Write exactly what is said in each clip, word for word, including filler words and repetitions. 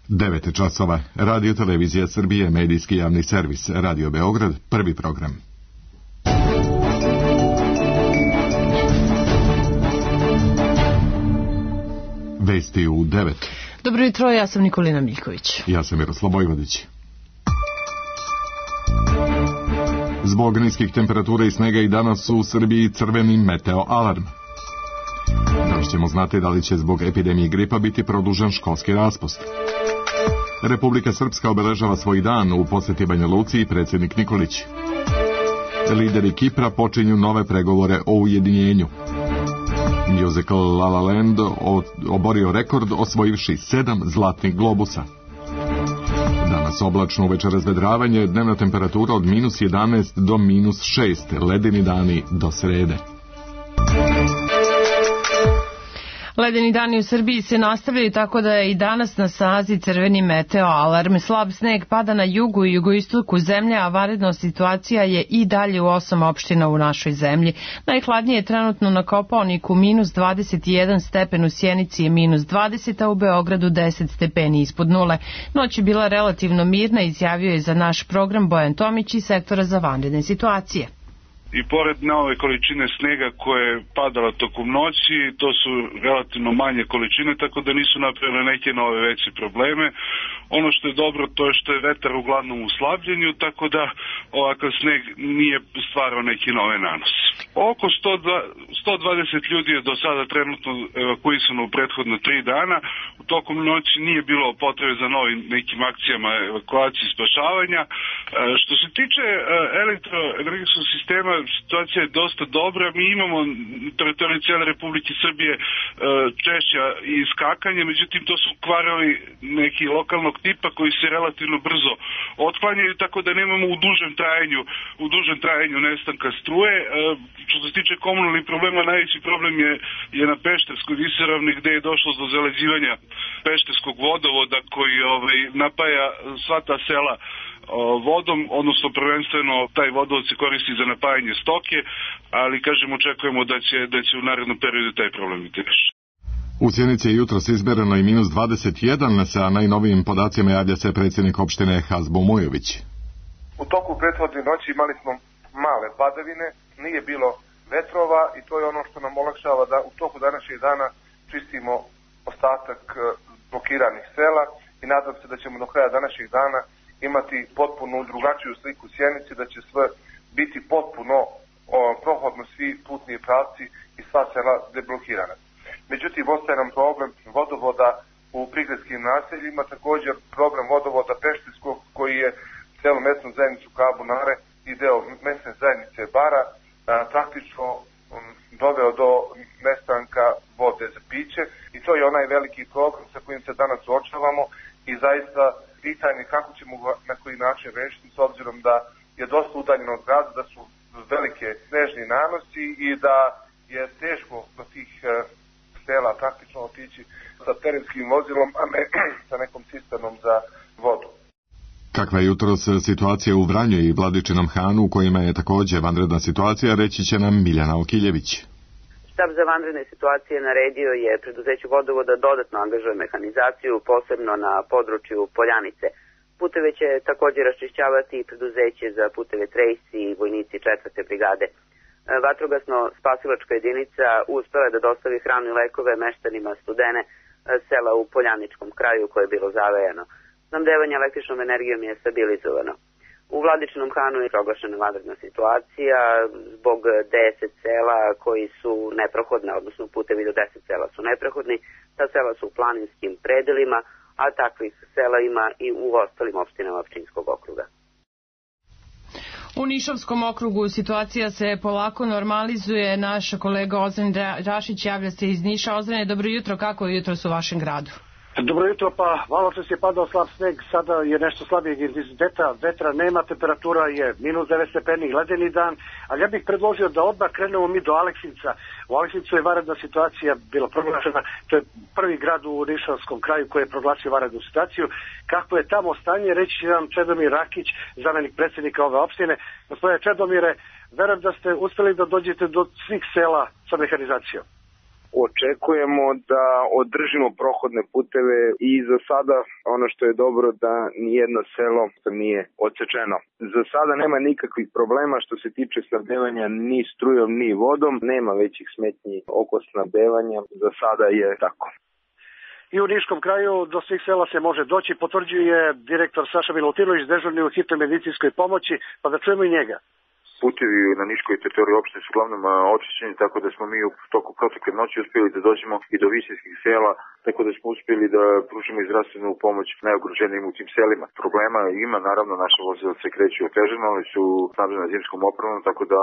devet časova. Radio Televizija Srbije, medijski javni servis, Radio Beograd, prvi program. Vesti u devet. Dobro jutro, ja sam Nikolina Miljković. Ja sam Miroslav Vojvodić. Zbog niskih temperatura i snega i danas u Srbiji crveni meteo alarm. Danas ćemo znati da li će zbog epidemije gripa biti produžen školski raspust. Republika Srpska obeležava svoj dan u posjeti Banja Luci i predsjednik Nikolić. Lideri Kipra počinju nove pregovore o ujedinjenju. Musical La La Land oborio rekord osvojivši sedam zlatnih globusa. Danas oblačno, uveče razvedravanje, dnevna temperatura od minus jedanaest do minus šest, ledeni dani do srede. Ledeni dani u Srbiji se nastavljaju tako da je i danas na snazi crveni meteo alarm. Slab sneg pada na jugu i jugoistoku zemlje, a vanredna situacija je i dalje u osam opština u našoj zemlji. Najhladnije je trenutno na Kopaoniku minus dvadeset jedan stepen, u Sjenici je minus dvadeset, a u Beogradu deset stepeni ispod nule. Noć je bila relativno mirna, izjavio je za naš program Bojan Tomić iz sektora za vanredne situacije. I pored nove količine snega koje je padala tokom noći, to su relativno manje količine, tako da nisu napravile neke nove veće probleme. Ono što je dobro, to je što je vetar uglavnom u slabljenju, tako da ovakav sneg nije stvarao neki nove nanose. Oko sto dvadeset ljudi je do sada trenutno evakuisano u prethodno tri dana. U tokom noći nije bilo potrebe za novim nekim akcijama evakuacije i spašavanja. Što se tiče elektroenergetskog sistema, situacija je dosta dobra. Mi imamo na teritoriji cijele Republike Srbije češća iskakanje, međutim to su kvarovi neki lokalnog tipa koji se relativno brzo otklanjaju, tako da nemamo u dužem trajanju, u dužem trajanju nestanka struje. Što se tiče komunalnih problema, najveći problem je, je na Pešterskoj visoravni, gde je došlo do zaleđivanja Pešterskog vodovoda koji ovaj, napaja sva ta sela vodom, odnosno prvenstveno taj vodovod se koristi za napajanje stoke, ali kažem očekujemo da će, da će u narednom periodu taj problem biti rešen. U Sjenici je jutros izmereno i minus dvadeset jedan, sa najnovijim podacima javlja se predsjednik opštine Hazbo Mujović. U toku prethodne noći imali smo male padavine, nije bilo vetrova i to je ono što nam olakšava da u toku današnjeg dana čistimo ostatak blokiranih sela i nadam se da ćemo do kraja današnjeg dana imati potpuno drugačiju sliku Sjenici, da će sve biti potpuno o, prohodno svi putni pravci i sva sela deblokirana. Međutim, ostaje nam problem vodovoda u prigradskim naseljima, također problem vodovoda Pešterskog koji je celu mesnu zajednicu Kabunare i deo mesne zajednice Bara a, praktično um, doveo do nestanka vode za piće i to je onaj veliki problem sa kojim se danas suočavamo i zaista pitanje kako ćemo ga na koji način rešiti s obzirom da je dosta udaljeno od grada, da su velike snežni nanosi i da je teško do tih uh, sela praktično otići sa terenskim vozilom, a ne sa nekom cisternom za vodu. Kakva je jutros situacija u Vranju i Vladičinom Hanu, u kojima je također vanredna situacija, reći će nam Miljana Okiljević. Štab za vanredne situacije naredio je preduzeću vodovoda dodatno angažuje mehanizaciju, posebno na području Poljanice. Puteve će također raščišćavati preduzeće za puteve Trejsi i vojnici četvrte brigade. Vatrogasno-spasilačka jedinica uspela je da dostavi hranu i lekove meštanima Studene, sela u Poljaničkom kraju koje je bilo zavejano. Snabdevanje električnom energijom je stabilizovano. U Vladičinom Hanu je proglašena vanredna situacija zbog deset sela koji su neprohodne, odnosno putevi do deset sela su neprohodni. Ta sela su u planinskim predelima, a takvih sela ima i u ostalim opštinama Pčinjskog okruga. U Nišavskom okrugu situacija se polako normalizuje. Naš kolega Ozren Rašić javlja se iz Niša. Ozrene, dobro jutro, kako je jutros u vašem gradu? Dobro jutro, pa malo čas je padao slab sneg, sada je nešto slabijeg intenziteta, vetra nema, temperatura je minus devet stepeni, ledeni dan, ali ja bih predložio da odmah krenemo mi do Aleksinca. U Aleksincu je vanredna situacija bila proglašena, to je prvi grad u Nišavskom kraju koji je proglasio vanrednu situaciju. Kako je tamo stanje, reći će nam Čedomir Rakić, zamenik predsjednika ove opštine. Gospodine Čedomire, verujem da ste uspjeli da dođete do svih sela sa mehanizacijom. Očekujemo da održimo prohodne puteve i za sada ono što je dobro da nijedno selo nije odsečeno. Za sada nema nikakvih problema što se tiče snabdevanja ni strujom ni vodom, nema većih smetnji oko snabdevanja, za sada je tako. I u Niškom kraju do svih sela se može doći, potvrđuje direktor Saša Milutinović, dežurni u hitnoj medicinskoj pomoći, pa da čujemo i njega. Putevi na niškoj teritoriji opštine su uglavnom očišćeni, tako da smo mi u toku protekle noći uspjeli da dođemo i do visinskih sela, tako da smo uspjeli da pružimo i zdravstvenu pomoć najugroženijim u tim selima. Problema ima, naravno, naše vozila se kreću otežano, ali su snabdena zimskom opremom, tako da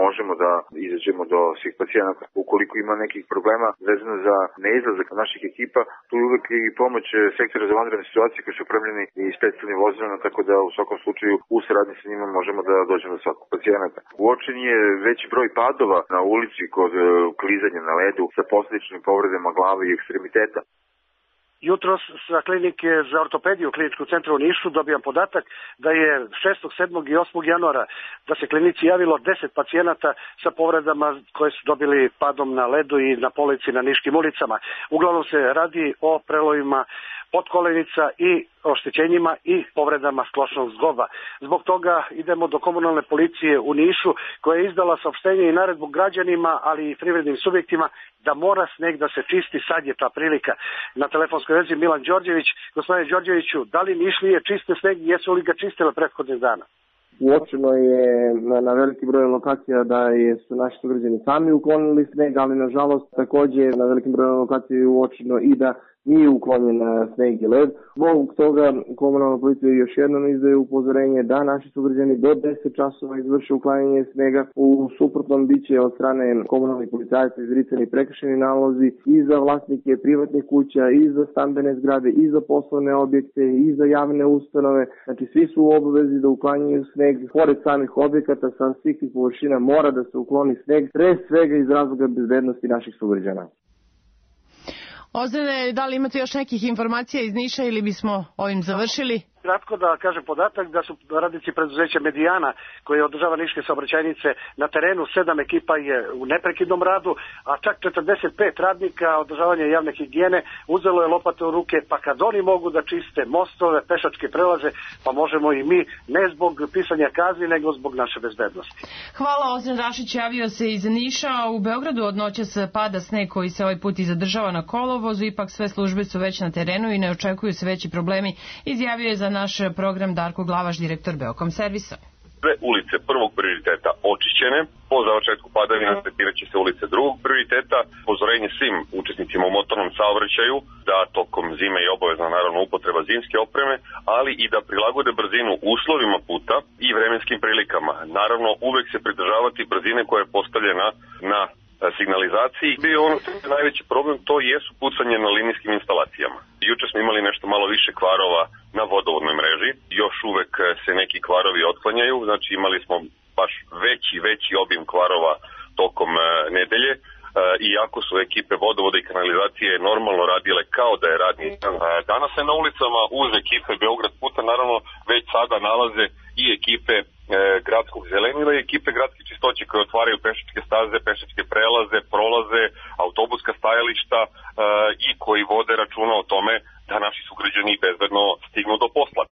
možemo da izađemo do svih pacijenata. Ukoliko ima nekih problema vezano za neizlazak naših ekipa, tu je uvek i pomoć sektora za vanredne situacije koji su opremljeni i specijalnim vozilima, tako da u svakom slučaju u saradnji sa njima možemo da dođemo do svakog pacijenata. Uočen je veći broj padova na ulici kod klizanja na ledu sa posljedičnim povredama glave i ekstremiteta. Jutros sa klinike za ortopediju u kliničkom centru u Nišu dobijam podatak da je šestog, sedmog i osmog januara da se klinici javilo deset pacijenata sa povredama koje su dobili padom na ledu i na polici na niškim ulicama. Uglavnom se radi o prelovima potkolenica i oštećenjima i povredama sklošnog zgloba. Zbog toga idemo do komunalne policije u Nišu koja je izdala saopštenje i naredbu građanima, ali i privrednim subjektima da mora sneg da se čisti, sad je ta prilika. Na telefonskoj vezi Milan Đorđević. Gospodine Đorđeviću, da li Nišlije čiste sneg i jesu li ga čistile prethodnih dana? Uočeno je na, na veliki broj lokacija da je, su naši sugrađani sami uklonili sneg, ali nažalost također na velikim broju lokacija je uočeno i da nije uklonjen sneg i led. Zbog toga komunalna policija još jednom izdaje upozorenje da naši sugrađani do deset časova izvrše uklanjanje snega. U suprotnom biće od strane komunalnih policajaca izricani prekršajni nalozi i za vlasnike privatnih kuća, i za stambene zgrade, i za poslovne objekte, i za javne ustanove. Znači svi su u obavezi da uklanjaju sneg. Pored samih objekata sa svih tih površina mora da se ukloni sneg, pre svega iz razloga bezbednosti naših sugrađana. Ozrene, da li imate još nekih informacija iz Niša ili bismo ovim završili? Kratko da kažem podatak da su radnici preduzeća Medijana koji održava niške saobraćajnice na terenu, sedam ekipa je u neprekidnom radu, a čak četrdeset pet radnika održavanja javne higijene uzelo je lopate u ruke, pa kad oni mogu da čiste mostove, pešačke prelaze, pa možemo i mi, ne zbog pisanja kazni, nego zbog naše bezbednosti. Hvala, Ozren Rašić javio se iz Niša. U Beogradu od noćas pada sneg koji se ovaj put i zadržava na kolovozu, ipak sve službe su već na terenu i ne očekuju se veći problemi, izjavio je za naš program Darko Glavaš, direktor Beokom servisa. Sve ulice prvog prioriteta očišćene, po završetku padavina tretirat će se ulice drugog prioriteta, upozorenje svim učesnicima u motornom saobraćaju da tokom zime je obavezna naravno upotreba zimske opreme, ali i da prilagode brzinu uslovima puta i vremenskim prilikama. Naravno, uvek se pridržavati brzine koja je postavljena na signalizaciji. Bio ono što je najveći problem, to jesu pucanje na linijskim instalacijama. Juče smo imali nešto malo više kvarova na vodovodnoj mreži, još uvek se neki kvarovi otklanjaju, znači imali smo baš veći, veći obim kvarova tokom nedelje, iako su ekipe vodovoda i kanalizacije normalno radile kao da je radni dan. Danas se na ulicama uz ekipe Beograd puta naravno već sada nalaze i ekipe e, gradskog zelenila i ekipe gradske čistoće koje otvaraju pešačke staze, pešačke prelaze, prolaze, autobuska stajališta e, i koji vode računa o tome da naši sugrađani bezbedno stignu do posla.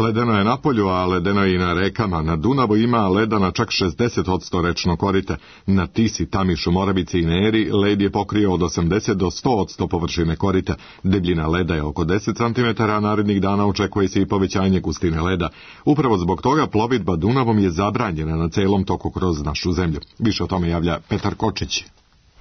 Ledeno je na polju, a ledeno je i na rekama. Na Dunavu ima leda na čak šezdeset posto rečno korite. Na Tisi, Tamišu, Moravici i Neri led je pokrio od osamdeset do sto posto površine korita. Debljina leda je oko deset centimetara, a narednih dana očekuje se i povećanje gustine leda. Upravo zbog toga plovidba Dunavom je zabranjena na celom toku kroz našu zemlju. Više o tome javlja Petar Kočić.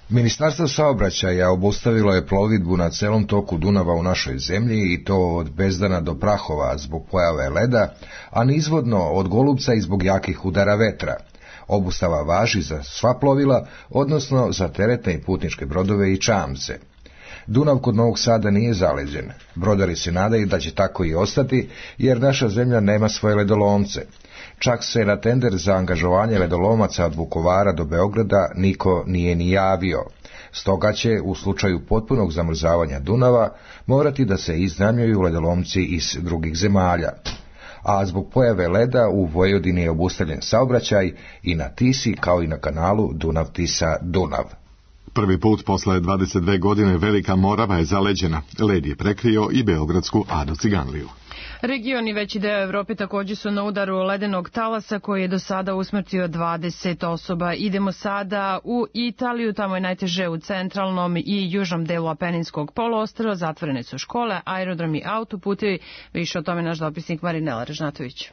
Ministarstvo saobraćaja obustavilo je plovidbu na celom toku Dunava u našoj zemlji i to od Bezdana do Prahova zbog pojave leda, a nizvodno od Golubca i zbog jakih udara vetra. Obustava važi za sva plovila, odnosno za teretne i putničke brodove i čamce. Dunav kod Novog Sada nije zaleđen. Brodari se nadaju da će tako i ostati, jer naša zemlja nema svoje ledolomce. Čak se na tender za angažovanje ledolomaca od Vukovara do Beograda niko nije ni javio. Stoga će, u slučaju potpunog zamrzavanja Dunava, morati da se iznajmljuju ledolomci iz drugih zemalja. A zbog pojave leda u Vojvodini je obustavljen saobraćaj i na Tisi kao i na kanalu Dunav-Tisa-Dunav. Prvi put posle dvadeset dve godine Velika Morava je zaleđena. Led je prekrio i beogradsku Ado Ciganliju. Region i veći deo Evrope također su na udaru ledenog talasa koji je do sada usmrtio dvadeset osoba. Idemo sada u Italiju, tamo je najteže u centralnom i južnom delu Apeninskog poluostrva, zatvorene su škole, aerodromi, autoputevi. Više o tome naš dopisnik Marinela Režnatović.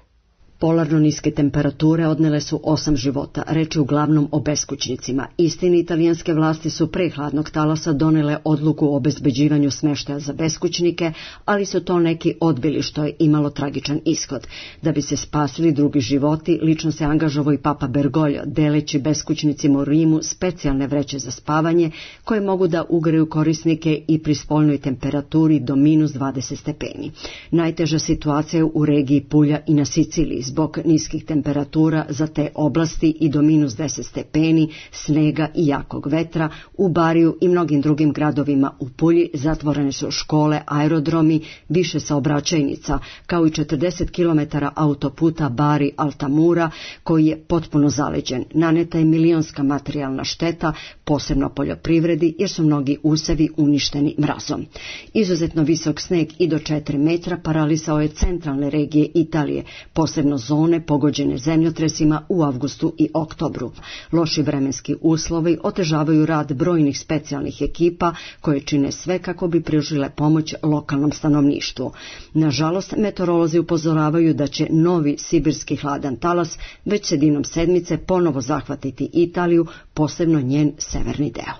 Polarno niske temperature odnele su osam života, reč je uglavnom o beskućnicima. Istini, italijanske vlasti su pre hladnog talasa donele odluku o obezbeđivanju smeštaja za beskućnike, ali su to neki odbili, što je imalo tragičan ishod. Da bi se spasili drugi životi, lično se angažovao i Papa Bergoglio, deleći beskućnicima u Rimu specijalne vreće za spavanje, koje mogu da ugreju korisnike i pri spoljnoj temperaturi do minus dvadeset stepeni. Najteža situacija je u regiji Pulja i na Siciliji, zbog niskih temperatura za te oblasti i do minus deset stepeni, snega i jakog vetra. U Bariju i mnogim drugim gradovima u Pulji zatvorene su škole, aerodromi, više saobraćajnica, kao i četrdeset kilometara autoputa Bari-Altamura, koji je potpuno zaleđen. Naneta je milionska materijalna šteta, posebno poljoprivredi, jer su mnogi usevi uništeni mrazom. Izuzetno visok sneg i do četiri metra paralisao je centralne regije Italije, posebno zone pogođene zemljotresima u avgustu i oktobru. Loši vremenski uslovi otežavaju rad brojnih specijalnih ekipa koje čine sve kako bi pružile pomoć lokalnom stanovništvu. Nažalost, meteorolozi upozoravaju da će novi sibirski hladan talas već sredinom sedmice ponovo zahvatiti Italiju, posebno njen severni deo.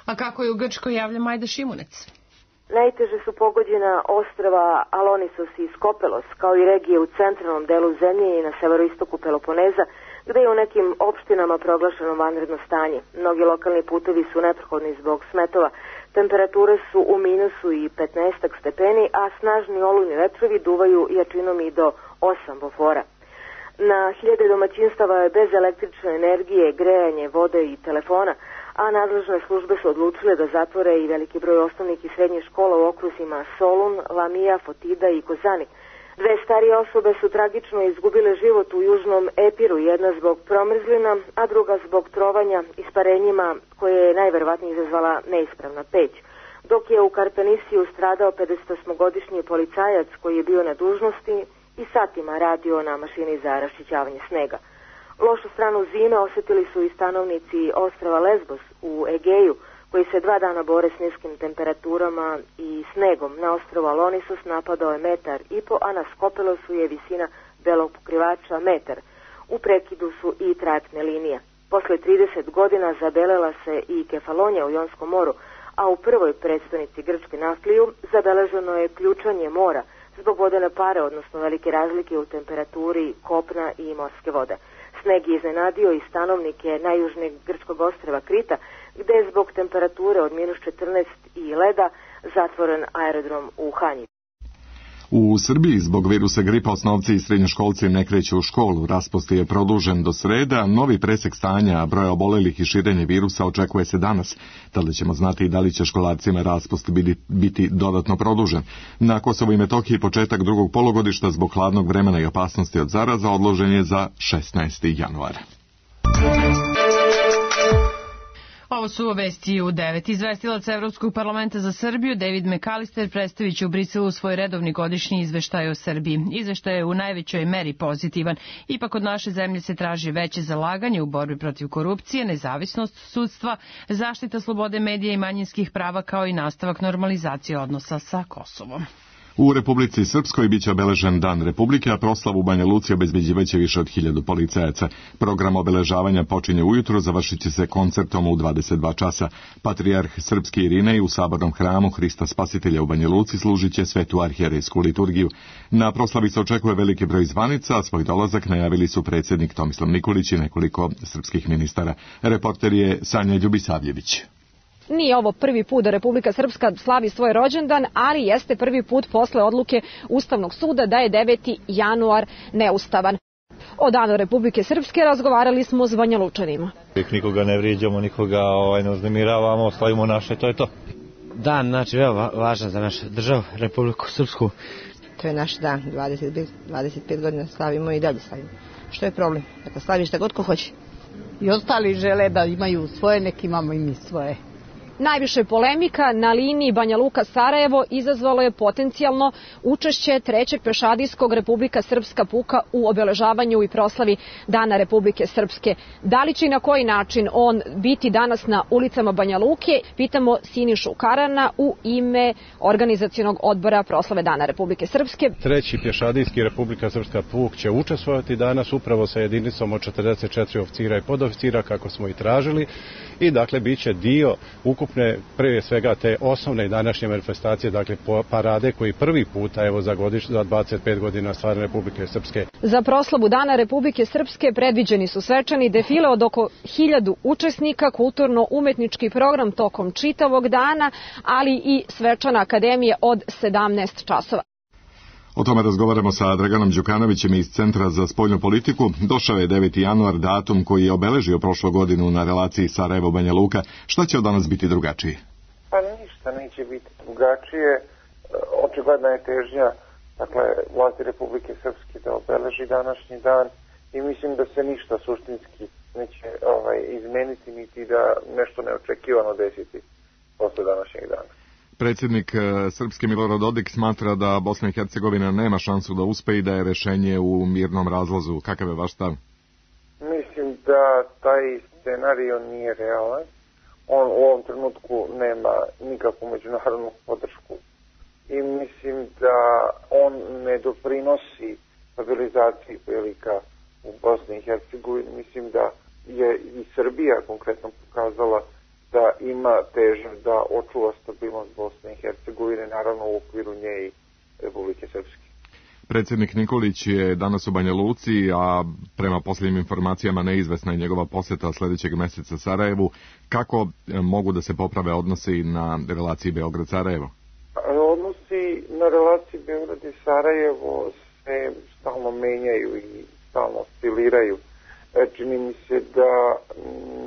A kako je u Grčkoj, javlja Majda Šimunec. Najteže su pogođena ostrva Alonisos i Skopelos, kao i regije u centralnom delu zemlje i na severoistoku Peloponeza, gde je u nekim opštinama proglašeno vanredno stanje. Mnogi lokalni putevi su neprohodni zbog smetova. Temperature su u minusu i petnaest stepeni, a snažni olujni vetrovi duvaju jačinom i do osam bofora. Na hiljade domaćinstava je bez električne energije, grejanje, vode i telefona, a nadležne službe su odlučile da zatvore i veliki broj osnovnih i srednjih škola u okruzima Solun, Lamija, Fotida i Kozani. Dve starije osobe su tragično izgubile život u južnom Epiru, jedna zbog promrzlina, a druga zbog trovanja isparenjima koje je najverovatnije izazvala neispravna peć. Dok je u Karpenisiju stradao pedesetosmogodišnji policajac koji je bio na dužnosti i satima radio na mašini za raščićavanje snega. Lošu stranu zime osjetili su i stanovnici ostrava Lesbos u Egeju, koji se dva dana bore s niskim temperaturama i snegom. Na ostrovu Alonisos napadao je metar i po, a na Skopelosu je visina belog pokrivača metar. U prekidu su i trajektne linije. Posle trideset godina zabelela se i Kefalonija u Jonskom moru, a u prvoj predstavnici Grčke Naftliju zabeleženo je ključanje mora zbog vodene pare, odnosno velike razlike u temperaturi kopna i morske vode. Sneg je iznenadio i stanovnike najjužnijeg grčkog ostrva Krita, gde je zbog temperature od minus četrnaest i leda zatvoren aerodrom u Hanji. U Srbiji zbog virusa gripa osnovci i srednjoškolci ne kreću u školu. Raspust je produžen do sreda, novi presek stanja broja obolelih i širenje virusa očekuje se danas. Tada ćemo znati da li će školarcima raspust biti, biti dodatno produžen. Na Kosovu i Metohiji početak drugog polugodišta zbog hladnog vremena i opasnosti od zaraza odložen je za šesnaesti januar. Ovo su vesti u devet. Izvestilac Evropskog parlamenta za Srbiju David McAllister predstavit će u Briselu svoj redovni godišnji izveštaj o Srbiji. Izveštaj je u najvećoj meri pozitivan. Ipak od naše zemlje se traži veće zalaganje u borbi protiv korupcije, nezavisnost sudstva, zaštita slobode medija i manjinskih prava, kao i nastavak normalizacije odnosa sa Kosovom. U Republici Srpskoj biće obeležen Dan Republike, a proslavu u Banja Luci obezbeđivaće više od hiljadu policajaca. Program obeležavanja počinje ujutro, završit će se koncertom u dvadeset dva časa. Patrijarh Srpski Irinej u sabornom hramu Hrista Spasitelja u Banja Luci služit će svetu arhijerejsku liturgiju. Na proslavi se očekuje veliki broj zvanica, a svoj dolazak najavili su predsjednik Tomislav Nikolić i nekoliko srpskih ministara. Reporter je Sanja Ljubisavljević. Nije ovo prvi put da Republika Srpska slavi svoj rođendan, ali jeste prvi put posle odluke Ustavnog suda da je deveti januar neustavan. O danu Republike Srpske razgovarali smo s Banjalučanima. Nikoga ne vrijeđamo, nikoga ovaj, ne uznemiravamo, slavimo naše, to je to. Dan, znači, veoma važan za našu državu, Republiku Srpsku. To je naš dan, dvadeset, dvadeset pet godina slavimo i dalje slavimo. Što je problem? Dakle, slaviš šta god ko hoće. I ostali žele da imaju svoje, nek imamo i mi svoje. Najviše polemika na liniji Banja Luka-Sarajevo izazvalo je potencijalno učešće trećeg pešadijskog Republika Srpska puka u obeležavanju i proslavi Dana Republike Srpske. Da li će i na koji način on biti danas na ulicama Banja Luke? Pitamo Sinišu Karana u ime organizacionog odbora proslave Dana Republike Srpske. Treći pješadijski Republika Srpska puk će učestvovati danas upravo sa jedinicom od četrdeset četiri oficira i podoficira kako smo i tražili i dakle bit će dio ukupne prije svega te osnovne današnje manifestacije, dakle parade koji prvi puta evo za godiš, za dvadeset pet godina stvarne Republike Srpske. Za proslavu Dana Republike Srpske predviđeni su svečani defile od oko hiljadu učesnika, kulturno-umetnički program tokom čitavog dana, ali i svečana akademija od sedamnaest časova. O tome razgovaramo sa Draganom Đukanovićem iz Centra za spoljnu politiku. Došao je deveti januar, datum koji je obeležio prošlu godinu na relaciji Sarajevo-Banja Luka. Šta će od danas biti drugačije? Pa ništa neće biti drugačije. Očigledna je težnja, dakle, vlasti Republike Srpske da obeleži današnji dan i mislim da se ništa suštinski neće ovaj, izmeniti niti da nešto neočekivano desiti posle današnjeg dana. Predsjednik Srpske Milorad Dodik smatra da Bosna i Hercegovina nema šansu da uspe i da je rešenje u mirnom razlazu. Kakav je vaš stav? Mislim da taj scenario nije realan. On u ovom trenutku nema nikakvu međunarodnu podršku i mislim da on ne doprinosi stabilizaciji prilika u Bosni i Hercegovini. Mislim da je i Srbija konkretno pokazala da ima težnju da očuva stabilnost Bosne i Hercegovine, naravno u okviru nje i Republike Srpske. Predsjednik Nikolić je danas u Banja Luci, a prema posljednjim informacijama neizvesna je njegova posjeta sljedećeg mjeseca Sarajevu. Kako mogu da se poprave odnosi na relaciji Beograd-Sarajevo? Odnosi na relaciji Beograd i Sarajevo se stalno menjaju i stalno osciliraju. Čini mi se da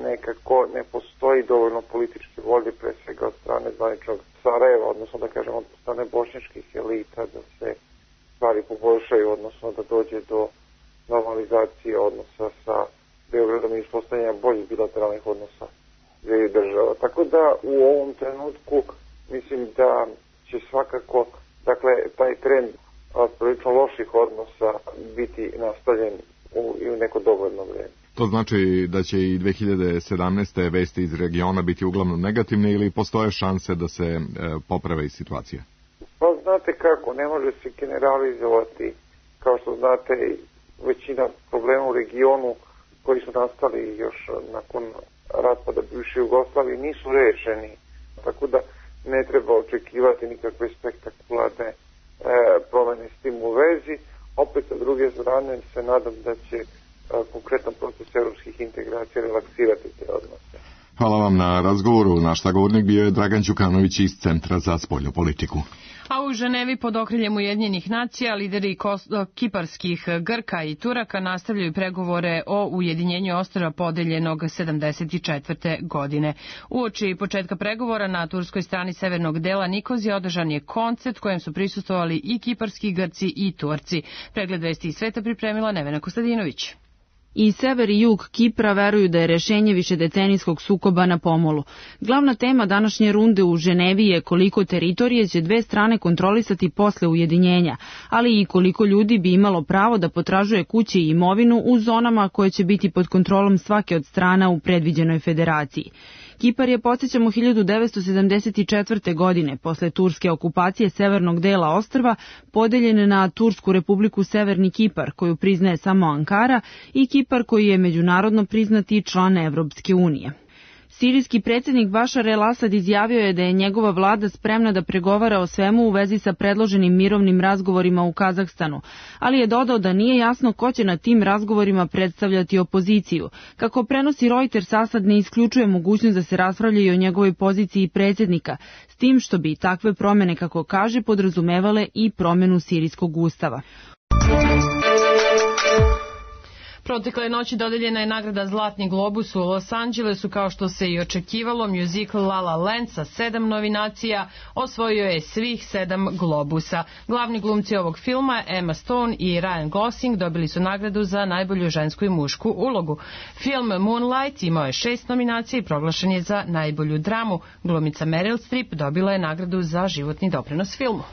nekako ne postoji dovoljno političke volje, pre svega od strane zvaničnog Sarajeva, odnosno da kažemo od strane bošnjačkih elita, da se stvari poboljšaju, odnosno da dođe do normalizacije odnosa sa Beogradom i uspostavljanja boljih bilateralnih odnosa dviju država. Tako da u ovom trenutku mislim da će svakako, dakle, taj trend prilično loših odnosa biti nastavljen u, i u neko dovoljno vrijeme. To znači da će i dve hiljade sedamnaeste. vesti iz regiona biti uglavnom negativne ili postoje šanse da se e, poprave i situacija? Pa znate kako, ne može se generalizovati. Kao što znate, većina problema u regionu koji su nastali još nakon raspada bivše Jugoslavije nisu rešeni. Tako da ne treba očekivati nikakve spektakularne e, promjene s tim u vezi. Opet, sa druge strane, se nadam da će a, konkretan proces evropskih integracija relaksirati te odnose. Hvala vam na razgovoru. Naš sagovornik bio je Dragan Đukanović iz Centra za spoljnu politiku. A u Ženevi pod okriljem Ujedinjenih nacija lideri kiparskih Grka i Turaka nastavljaju pregovore o ujedinjenju ostrva podeljenog sedamdeset četvrte. godine. Uoči početka pregovora na turskoj strani severnog dela Nikozije održan je koncert kojem su prisustvovali i kiparski Grci i Turci. Pregled vesti iz sveta pripremila Nevena Kostadinović. I sever i jug Kipra veruju da je rešenje višedecenijskog sukoba na pomolu. Glavna tema današnje runde u Ženevi je koliko teritorije će dve strane kontrolisati posle ujedinjenja, ali i koliko ljudi bi imalo pravo da potražuje kuće i imovinu u zonama koje će biti pod kontrolom svake od strana u predviđenoj federaciji. Kipar je, podsjećamo, hiljadu devetsto sedamdeset četvrte. godine, posle turske okupacije severnog dela ostrva, podeljen na Tursku republiku Severni Kipar, koju priznaje samo Ankara, i Kipar koji je međunarodno priznati član Evropske unije. Sirijski predsjednik Bašar el-Asad izjavio je da je njegova vlada spremna da pregovara o svemu u vezi sa predloženim mirovnim razgovorima u Kazahstanu, ali je dodao da nije jasno ko će na tim razgovorima predstavljati opoziciju. Kako prenosi Reuters, Asad ne isključuje mogućnost da se raspravlja i o njegovoj poziciji predsjednika, s tim što bi takve promjene, kako kaže, podrazumevale i promjenu sirijskog ustava. Protekle noći dodeljena je nagrada Zlatni globus u Los Angelesu, kao što se i očekivalo. Muzikl La La Land sa sedam nominacija osvojio je svih sedam globusa. Glavni glumci ovog filma, Emma Stone i Ryan Gosling, dobili su nagradu za najbolju žensku i mušku ulogu. Film Moonlight imao je šest nominacija i proglašen je za najbolju dramu. Glumica Meryl Streep dobila je nagradu za životni doprinos filmu.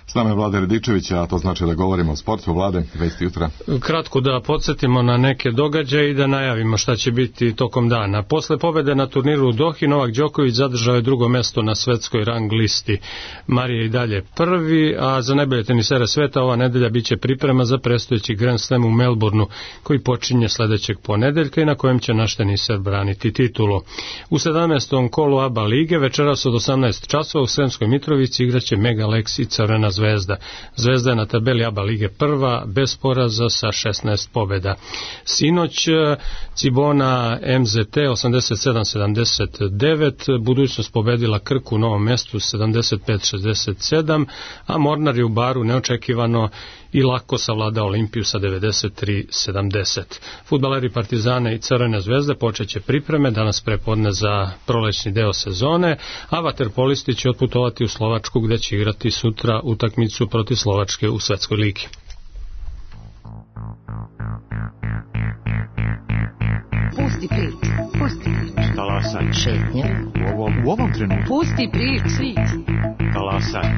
S nama je Vlada Radičević, a to znači da govorimo o sportu. Vlade, vesti jutra. Kratko da podsjetimo na neke događaje i da najavimo šta će biti tokom dana. Posle pobede na turniru u Dohi, Novak Đoković zadržao je drugo mesto na svetskoj rang listi. Marija i dalje prvi, a za najbolje tenisere sveta ova nedelja biće priprema za predstojeći Grand Slam u Melbourneu, koji počinje sledećeg ponedeljka i na kojem će naš teniser braniti titulu. U sedamnaestom kolu A B A lige večeras od osamnaest časova u Sremskoj Mitrovici igraće Mega Lex i Crvena Zvezda. Zvezda je na tabeli A B A lige prva, bez poraza sa šesnaest pobjeda. Sinoć Cibona M Z T osamdeset sedam sedamdeset devet, Budućnost pobedila Krku u Novom Mestu sedamdeset pet šezdeset sedam, a Mornar je u Baru neočekivano i lako savladao Olimpiju sa devedeset tri sedamdeset. Fudbaleri Partizana i Crvene Zvezde počeće pripreme danas prepodne za prolećni deo sezone, a vaterpolisti će otputovati u Slovačku, gde će igrati sutra utakmicu protiv Slovačke u svetskoj ligi. Pusti priču, pusti priču. Talasaj. Šetnja. U ovom, u ovom trenutku. Pusti priču. Talasaj.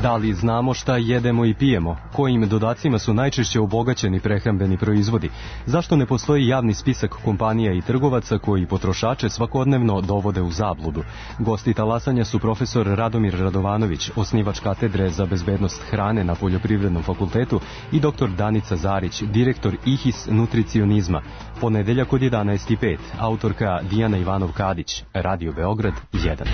Da li znamo šta jedemo i pijemo? Kojim dodacima su najčešće obogaćeni prehrambeni proizvodi? Zašto ne postoji javni spisak kompanija i trgovaca koji potrošače svakodnevno dovode u zabludu? Gosti talasanja su profesor Radomir Radovanović, osnivač katedre za bezbednost hrane na Poljoprivrednom fakultetu, i doktor Danica Zarić, direktor I H I S nutricionizma. Ponedeljak od jedanaest i pet, autorka Dijana Ivanov-Kadić, Radio Beograd jedan.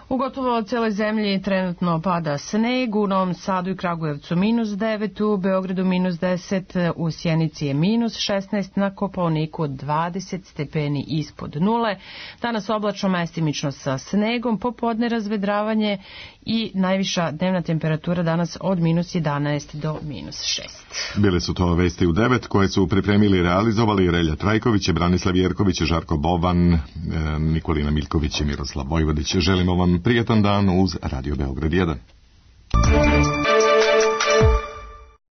U gotovo cijeloj zemlji trenutno pada sneg, u Novom Sadu i Kragujevcu minus devet, u Beogradu minus deset, u Sjenici je minus šesnaest, na Kopaoniku dvadeset stepeni ispod nule. Danas oblačno, mestimično sa snegom, popodne razvedravanje i najviša dnevna temperatura danas od minus jedanaest do minus šest. Bile su to vesti u devet koje su pripremili i realizovali Relja Trajković, Branislav Jerković, Žarko Boban, Nikolina Miljković i Miroslav Vojvodić. Želimo vam prijetan dan uz Radio Beograd jedan.